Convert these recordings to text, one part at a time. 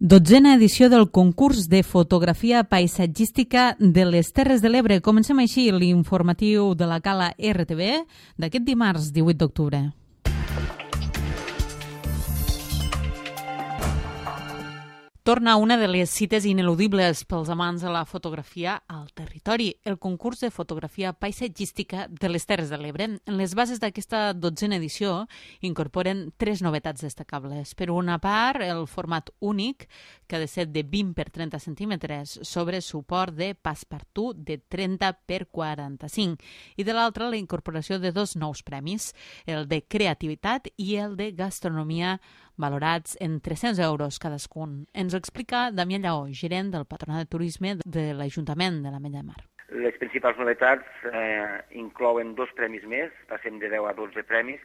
12a edició del concurs de fotografia paisatgística de les Terres de l'Ebre. Comencem així l'informatiu de la Cala RTV d'aquest dimarts 18 d'octubre. Torna una de les cites ineludibles pels amants de la fotografia al territori, el concurs de fotografia paisatgística de les Terres de l'Ebre. Les bases d'aquesta 12a edició incorporen 3 novetats destacables. Per una part, el format únic, que ha de ser de 20 per 30 centímetres, sobre suport de Passepartout de 30 per 45. I de l'altra, la incorporació de 2 nous premis, el de creativitat i el de gastronomia, valorats en 300 euros cadascun. Ens ho explica Damià Lleó, gerent del Patronat de Turisme de l'Ajuntament de l'Ametlla de Mar. Les principals novetats inclouen 2 premis més, passem de 10 a 12 premis,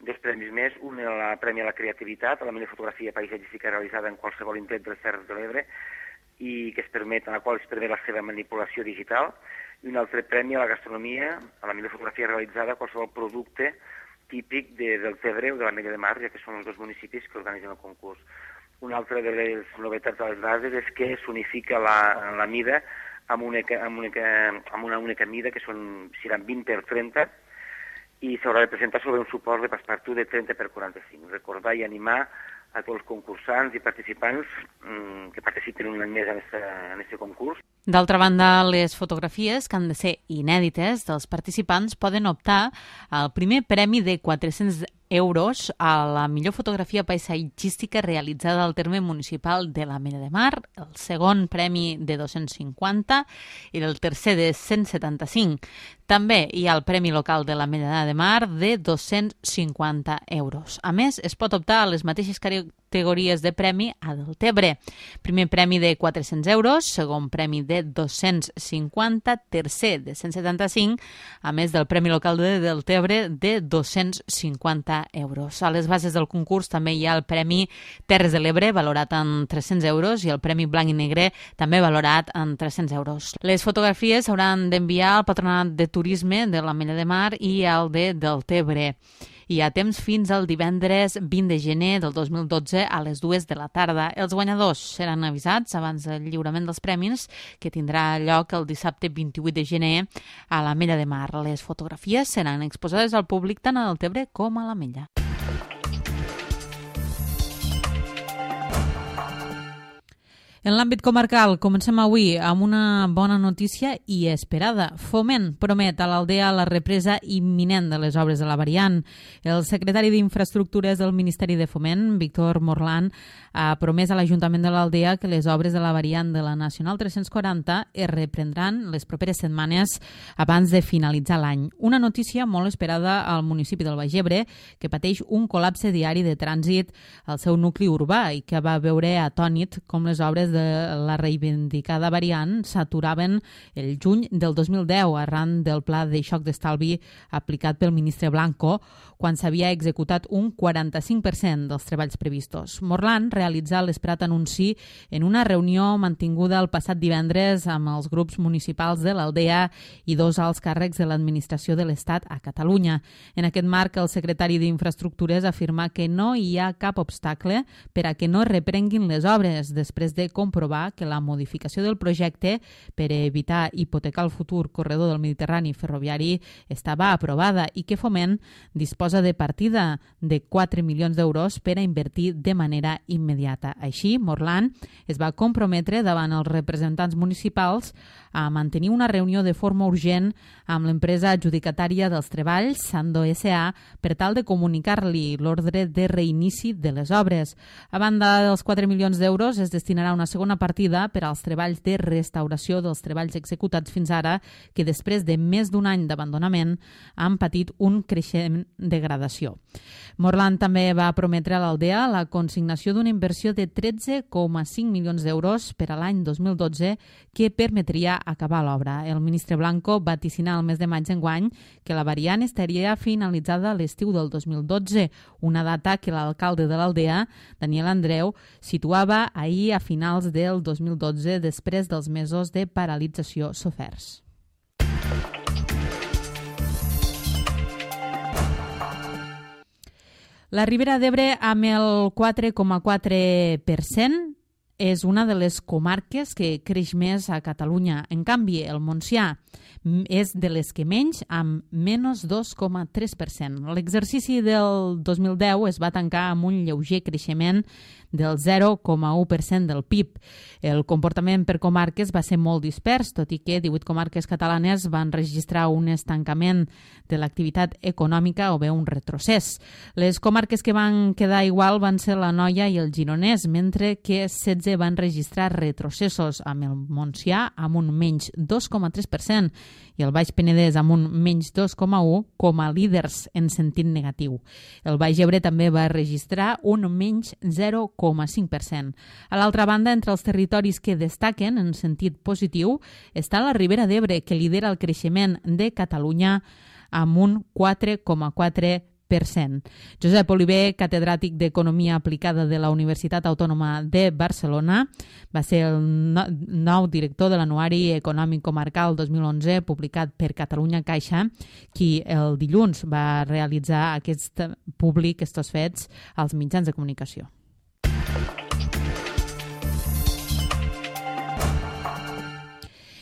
2 premis més, un el premi a la creativitat, a la millor fotografia paisatgística realitzada en qualsevol indret de les Terres de l'Ebre i en la qual es permet la seva manipulació digital, i un altre premi a la gastronomia, a la millor fotografia realitzada a qualsevol producte típic del Tebre o de l'Ametlla de Mar, ja que són els 2 municipis que organitzen el concurs. Una altra de les novetats de les bases és que s'unifica la mida amb una única mida, que seran 20 per 30, i s'haurà de presentar sobre un suport de Passepartout de 30 per 45. Recordar i animar a tots els concursants i participants que participen un any més en aquest concurs. D'altra banda, les fotografies, que han de ser inèdites, dels participants poden optar al primer premi de 400 euros a la millor fotografia paisatgística realitzada al terme municipal de l'Ametlla de Mar, el segon premi de 250 i el tercer de 175. També hi ha el Premi Local de l'Ametlla de Mar de 250 euros. A més, es pot optar a les mateixes categories de premi a Deltebre. Primer premi de 400 euros, segon premi de 250, tercer de 175, a més del Premi Local de Deltebre de 250 euros. A les bases del concurs també hi ha el Premi Terres de l'Ebre, valorat en 300 euros, i el Premi Blanc i Negre, també valorat en 300 euros. Les fotografies s'hauran d'enviar al Patronat de Turisme de l'Ametlla de Mar i al de Deltebre. Hi ha temps fins al divendres 20 de gener del 2012 a les 2 de la tarda. Els guanyadors seran avisats abans del lliurament dels premis, que tindrà lloc el dissabte 28 de gener a l'Ametlla de Mar. Les fotografies seran exposades al públic tant a Deltebre com a l'Ametlla. En l'àmbit comarcal, comencem avui amb una bona notícia i esperada. Foment promet a l'Aldea la represa imminent de les obres de la variant. El secretari d'Infraestructures del Ministeri de Foment, Víctor Morlan, ha promès a l'Ajuntament de l'Aldea que les obres de la variant de la Nacional 340 es reprendran les properes setmanes abans de finalitzar l'any. Una notícia molt esperada al municipi del Baix Ebre, que pateix un col·lapse diari de trànsit al seu nucli urbà i que va veure atònit com les obres de la reivindicada variant s'aturaven el juny del 2010 arran del pla de xoc d'estalvi aplicat pel ministre Blanco, quan s'havia executat un 45% dels treballs previstos. Morlan realitzà l'esperat anunci en una reunió mantinguda el passat divendres amb els grups municipals de l'Aldea i 2 alts càrrecs de l'administració de l'Estat a Catalunya. En aquest marc, el secretari d'Infraestructures afirma que no hi ha cap obstacle per a que no reprenguin les obres després de comprovar que la modificació del projecte per evitar hipotecar el futur corredor del Mediterrani ferroviari estava aprovada i que Foment disposa de partida de 4 milions d'euros per a invertir de manera immediata. Així, Morlan es va comprometre davant els representants municipals a mantenir una reunió de forma urgent amb l'empresa adjudicatària dels treballs, Sando S.A., per tal de comunicar-li l'ordre de reinici de les obres. A banda dels 4 milions d'euros, es destinarà una segona partida per als treballs de restauració dels treballs executats fins ara, que després de més d'un any d'abandonament han patit un creixent degradació. Morlan també va prometre a l'Aldea la consignació d'una inversió de 13,5 milions d'euros per a l'any 2012 que permetria acabar l'obra. El ministre Blanco va vaticinar el mes de maig d'enguany que la variant estaria finalitzada a l'estiu del 2012, una data que l'alcalde de l'Aldea, Daniel Andreu, situava ahir a finals del 2012 després dels mesos de paralització soferts. La Ribera d'Ebre amb el 4,4%, és una de les comarques que creix més a Catalunya. En canvi, el Montsià és de les que menys, amb menys 2,3%. L'exercici del 2010 es va tancar amb un lleuger creixement del 0,1% del PIB. El comportament per comarques va ser molt dispers, tot i que 18 comarques catalanes van registrar un estancament de l'activitat econòmica o bé un retrocés. Les comarques que van quedar igual van ser l'Anoia i el Gironès, mentre que 16 van registrar retrocessos, amb el Montsià amb un menys 2,3% i el Baix Penedès amb un menys 2,1% com a líders en sentit negatiu. El Baix Ebre també va registrar un menys 0,5%. A l'altra banda, entre els territoris que destaquen en sentit positiu està la Ribera d'Ebre, que lidera el creixement de Catalunya amb un 4,4%. Josep Oliver, catedràtic d'Economia Aplicada de la Universitat Autònoma de Barcelona, va ser el nou director de l'Anuari Econòmic Comarcal 2011 publicat per Catalunya Caixa, qui el dilluns va realitzar aquests fets als mitjans de comunicació.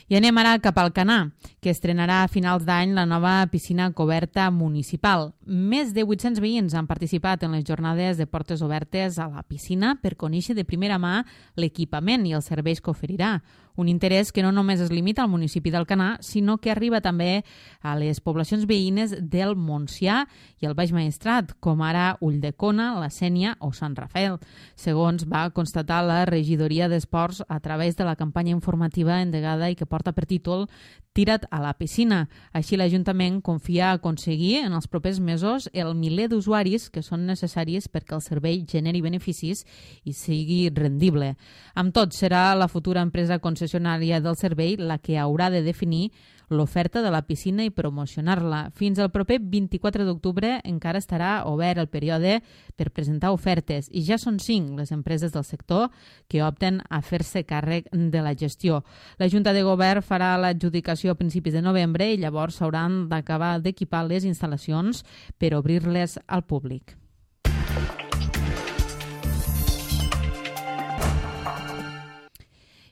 I anem ara cap al Canà, que estrenarà a finals d'any la nova piscina coberta municipal. Més de 800 veïns han participat en les jornades de portes obertes a la piscina per conèixer de primera mà l'equipament i els serveis que oferirà. Un interès que no només es limita al municipi d'Alcanar, sinó que arriba també a les poblacions veïnes del Montsià i el Baix Maestrat, com ara Ulldecona, la Sénia o Sant Rafael, segons va constatar la regidoria d'Esports a través de la campanya informativa endegada i que porta per títol Tira't a la piscina. Així l'Ajuntament confia aconseguir en els propers mesos el miler d'usuaris que són necessaris perquè el servei generi beneficis i sigui rendible. Amb tot, serà la futura empresa concessionària del servei la que haurà de definir l'oferta de la piscina i promocionar-la. Fins al proper 24 d'octubre encara estarà obert el període per presentar ofertes i ja són 5 les empreses del sector que opten a fer-se càrrec de la gestió. La Junta de Govern farà l'adjudicació a principis de novembre i llavors s'hauran d'acabar d'equipar les instal·lacions per obrir-les al públic.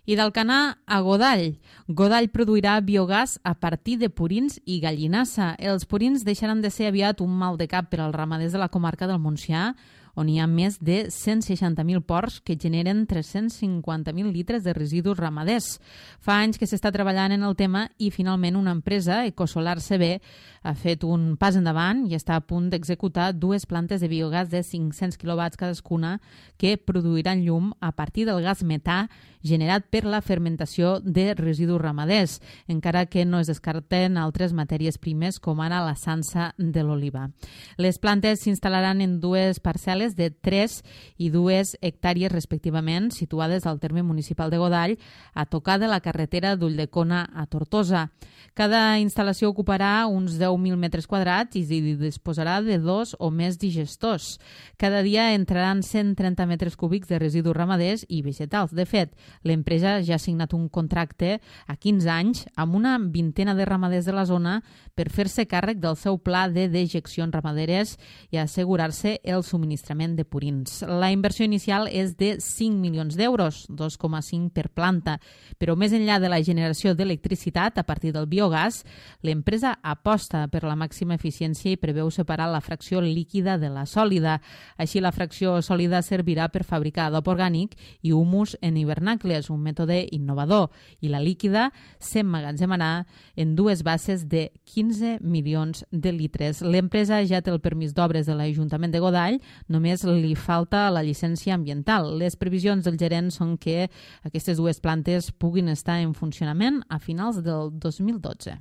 I d'Alcanar a Godall. Godall produirà biogàs a partir de purins i gallinassa. Els purins deixaran de ser aviat un mal de cap per als ramaders de la comarca del Montsià, on hi ha més de 160.000 porcs que generen 350.000 litres de residus ramaders. Fa anys que s'està treballant en el tema i finalment una empresa, Ecosolar CB, ha fet un pas endavant i està a punt d'executar 2 plantes de biogàs de 500 quilowatts cadascuna que produiran llum a partir del gas metà generat per la fermentació de residus ramaders, encara que no es descarten altres matèries primes com ara la sansa de l'oliva. Les plantes s'instal·laran en 2 parcel·les de 3 i 2 hectàrees respectivament, situades al terme municipal de Godall, a tocar de la carretera d'Ulldecona a Tortosa. Cada instal·lació ocuparà uns 10.000 metres quadrats i disposarà de 2 o més digestors. Cada dia entraran 130 metres cúbics de residus ramaders i vegetals. De fet, l'empresa ja ha signat un contracte a 15 anys amb una vintena de ramaders de la zona per fer-se càrrec del seu pla de dejeccions ramaderes i assegurar-se el subministrament de purins. La inversió inicial és de 5 milions d'euros, 2,5 per planta, però més enllà de la generació d'electricitat a partir del biogàs, l'empresa aposta per la màxima eficiència i preveu separar la fracció líquida de la sòlida. Així, la fracció sòlida servirà per fabricar adob orgànic i humus en hivernacles, un mètode innovador, i la líquida s'emmagatzemarà en 2 bases de 15 milions de litres. L'empresa ja té el permís d'obres de l'Ajuntament de Godall, només li falta la llicència ambiental. Les previsions del gerent són que aquestes 2 plantes puguin estar en funcionament a finals del 2012.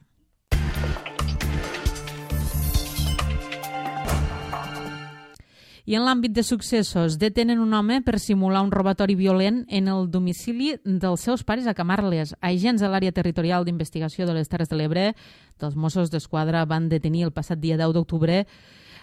I en l'àmbit de successos, detenen un home per simular un robatori violent en el domicili dels seus pares a Camarles. Agents de l'àrea territorial d'investigació de les Terres de l'Ebre dels Mossos d'Esquadra van detenir el passat dia 10 d'octubre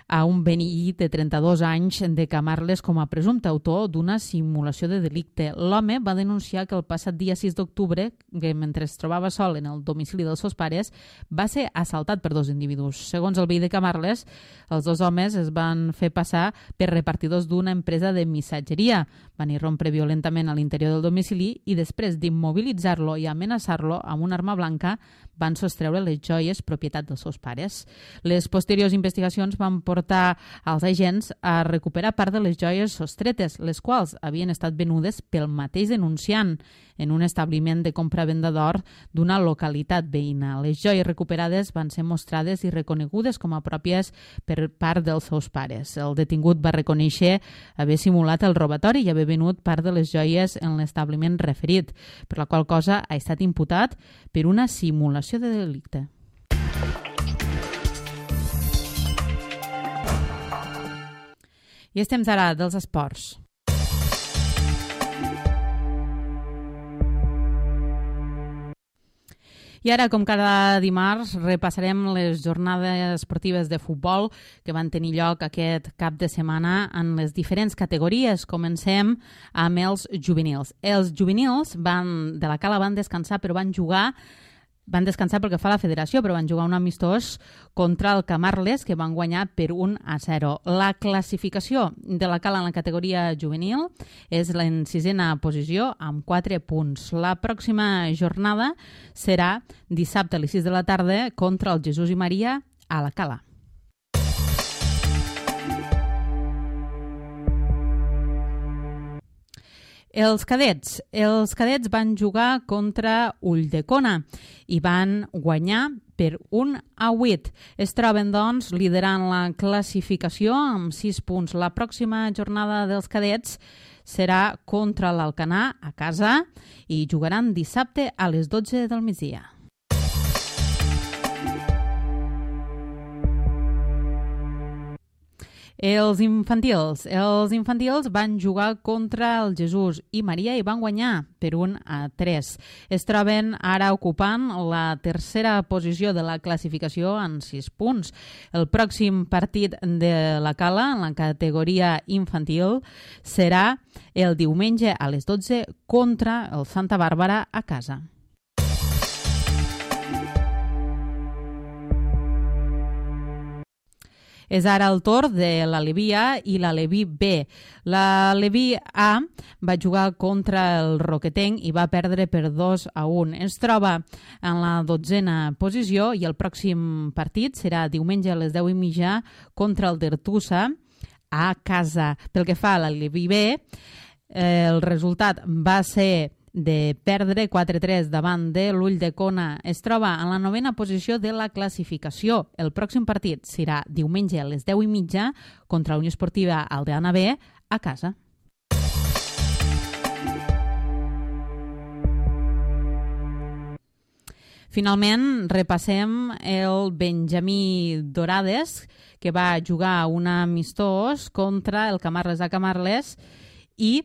a un veí de 32 anys de Camarles com a presumpte autor d'una simulació de delicte. L'home va denunciar que el passat dia 6 d'octubre, que mentre es trobava sol en el domicili dels seus pares, va ser assaltat per dos individus. Segons el veí de Camarles, els dos homes es van fer passar per repartidors d'una empresa de missatgeria. Van irrompre violentament a l'interior del domicili i després d'immobilitzar-lo i amenaçar-lo amb una arma blanca van sostreure les joies propietat dels seus pares. Les posteriors investigacions van portar als agents a recuperar part de les joies sostretes, les quals havien estat venudes pel mateix denunciant en un establiment de compra-venda d'or d'una localitat veïna. Les joies recuperades van ser mostrades i reconegudes com a pròpies per part dels seus pares. El detingut va reconèixer haver simulat el robatori i haver venut part de les joies en l'establiment referit, per la qual cosa ha estat imputat per una simulació de delicte. I estem ara dels esports. I ara, com cada dimarts, repassarem les jornades esportives de futbol que van tenir lloc aquest cap de setmana en les diferents categories. Comencem amb els juvenils. Els juvenils de la Cala van descansar, però van descansar pel que fa a la federació, però van jugar un amistós contra el Camarles, que van guanyar per 1-0. La classificació de la Cala en la categoria juvenil és en 6a posició, amb 4 punts. La pròxima jornada serà dissabte a les 6 de la tarda contra el Jesús i Maria a la Cala. Els cadets van jugar contra Ulldecona i van guanyar per 1-8. Es troben, doncs, liderant la classificació amb 6 punts. La pròxima jornada dels cadets serà contra l'Alcanar a casa i jugaran dissabte a les 12 del migdia. Els infantils van jugar contra el Jesús i Maria i van guanyar per 1-3. Es troben ara ocupant la tercera posició de la classificació en 6 punts. El pròxim partit de la Cala en la categoria infantil serà el diumenge a les 12 contra el Santa Bàrbara a casa. És ara el torn de l'Aleví A i l'Aleví B. L'Aleví A va jugar contra el Roquetenc i va perdre per 2-1. Es troba en la 12a posició i el pròxim partit serà diumenge a les 10:30 contra el Dertussa a casa. Pel que fa a l'Aleví B, el resultat va ser de perdre 4-3 davant de l'Ulldecona. Es troba en la 9a posició de la classificació. El pròxim partit serà diumenge a les 10:30 contra la Unió Esportiva Aldeana B a casa. Finalment, repassem el Benjamí Dorades, que va jugar un amistós contra el Camarles a Camarles i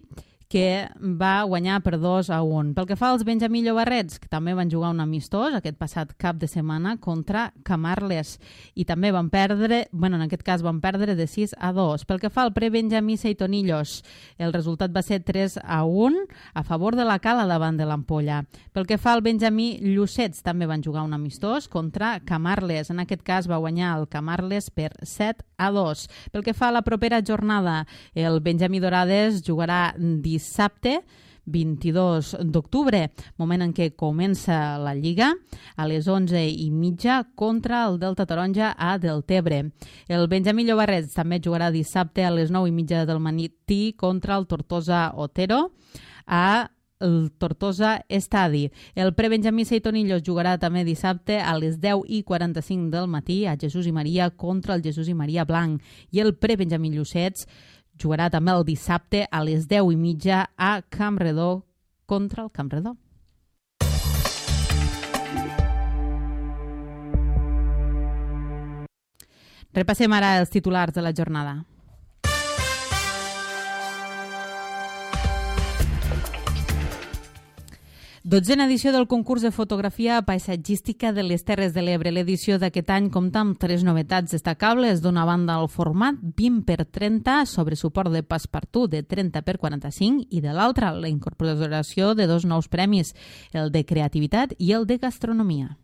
que va guanyar per 2-1. Pel que fa als Benjamí Llobarrets, que també van jugar un amistós aquest passat cap de setmana contra Camarles i també van perdre, en aquest cas van perdre de 6-2. Pel que fa al pre-Benjamí Seitonillos, el resultat va ser 3-1 a favor de la Cala davant de l'Ampolla. Pel que fa al Benjamí Llucets, també van jugar un amistós contra Camarles. En aquest cas va guanyar el Camarles per 7-2. Pel que fa a la propera jornada, el Benjamí Dorades jugarà dissabte 22 d'octubre, moment en què comença la Lliga, a les 11:30 contra el Delta Taronja a Deltebre. El Benjamí Llobarrets també jugarà dissabte a les 9:30 del matí contra el Tortosa Otero a el Tortosa Estadi. El pre-Benjamí Seitonillos jugarà també dissabte a les 10:45 del matí a Jesús i Maria contra el Jesús i Maria Blanc. I el pre-Benjamí Llucets jugarà també el dissabte a les 10:30 a Campredó contra el Campredó. Repassem ara els titulars de la jornada. 12a edició del concurs de fotografia paisatgística de les Terres de l'Ebre. L'edició d'aquest any compta amb 3 novetats destacables. D'una banda, el format 20x30 sobre suport de Passepartout de 30x45 i de l'altra, la incorporació de 2 nous premis, el de creativitat i el de gastronomia.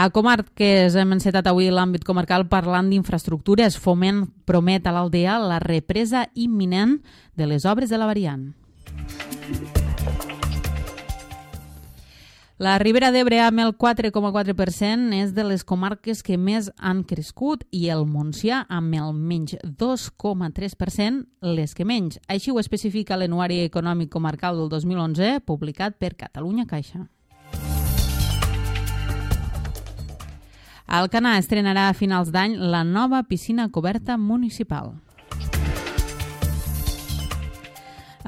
A Comarques hem encetat avui l'àmbit comarcal parlant d'infraestructures. Foment promet a l'Aldea la represa imminent de les obres de la variant. La Ribera d'Ebre amb el 4,4% és de les comarques que més han crescut i el Montsià amb el menys 2,3% les que menys. Així ho especifica l'Anuari Econòmic Comarcal del 2011 publicat per Catalunya Caixa. Alcanar estrenarà a finals d'any la nova piscina coberta municipal.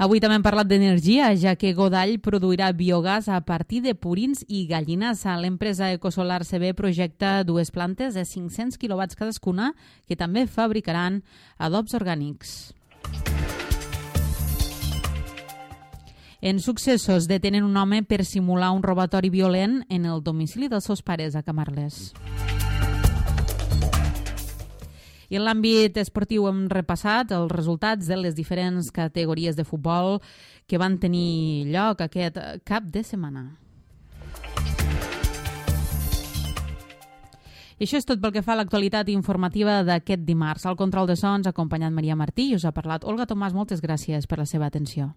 Avui també hem parlat d'energia, ja que Godall produirà biogàs a partir de purins i gallinassa. L'empresa Ecosolar CB projecta 2 plantes de 500 kW cadascuna que també fabricaran adobs orgànics. En Successos detenen un home per simular un robatori violent en el domicili dels seus pares a Camarles. I en l'àmbit esportiu hem repassat els resultats de les diferents categories de futbol que van tenir lloc aquest cap de setmana. I això és tot pel que fa a l'actualitat informativa d'aquest dimarts. Al control de sons ha acompanyat Maria Martí i us ha parlat Olga Tomàs. Moltes gràcies per la seva atenció.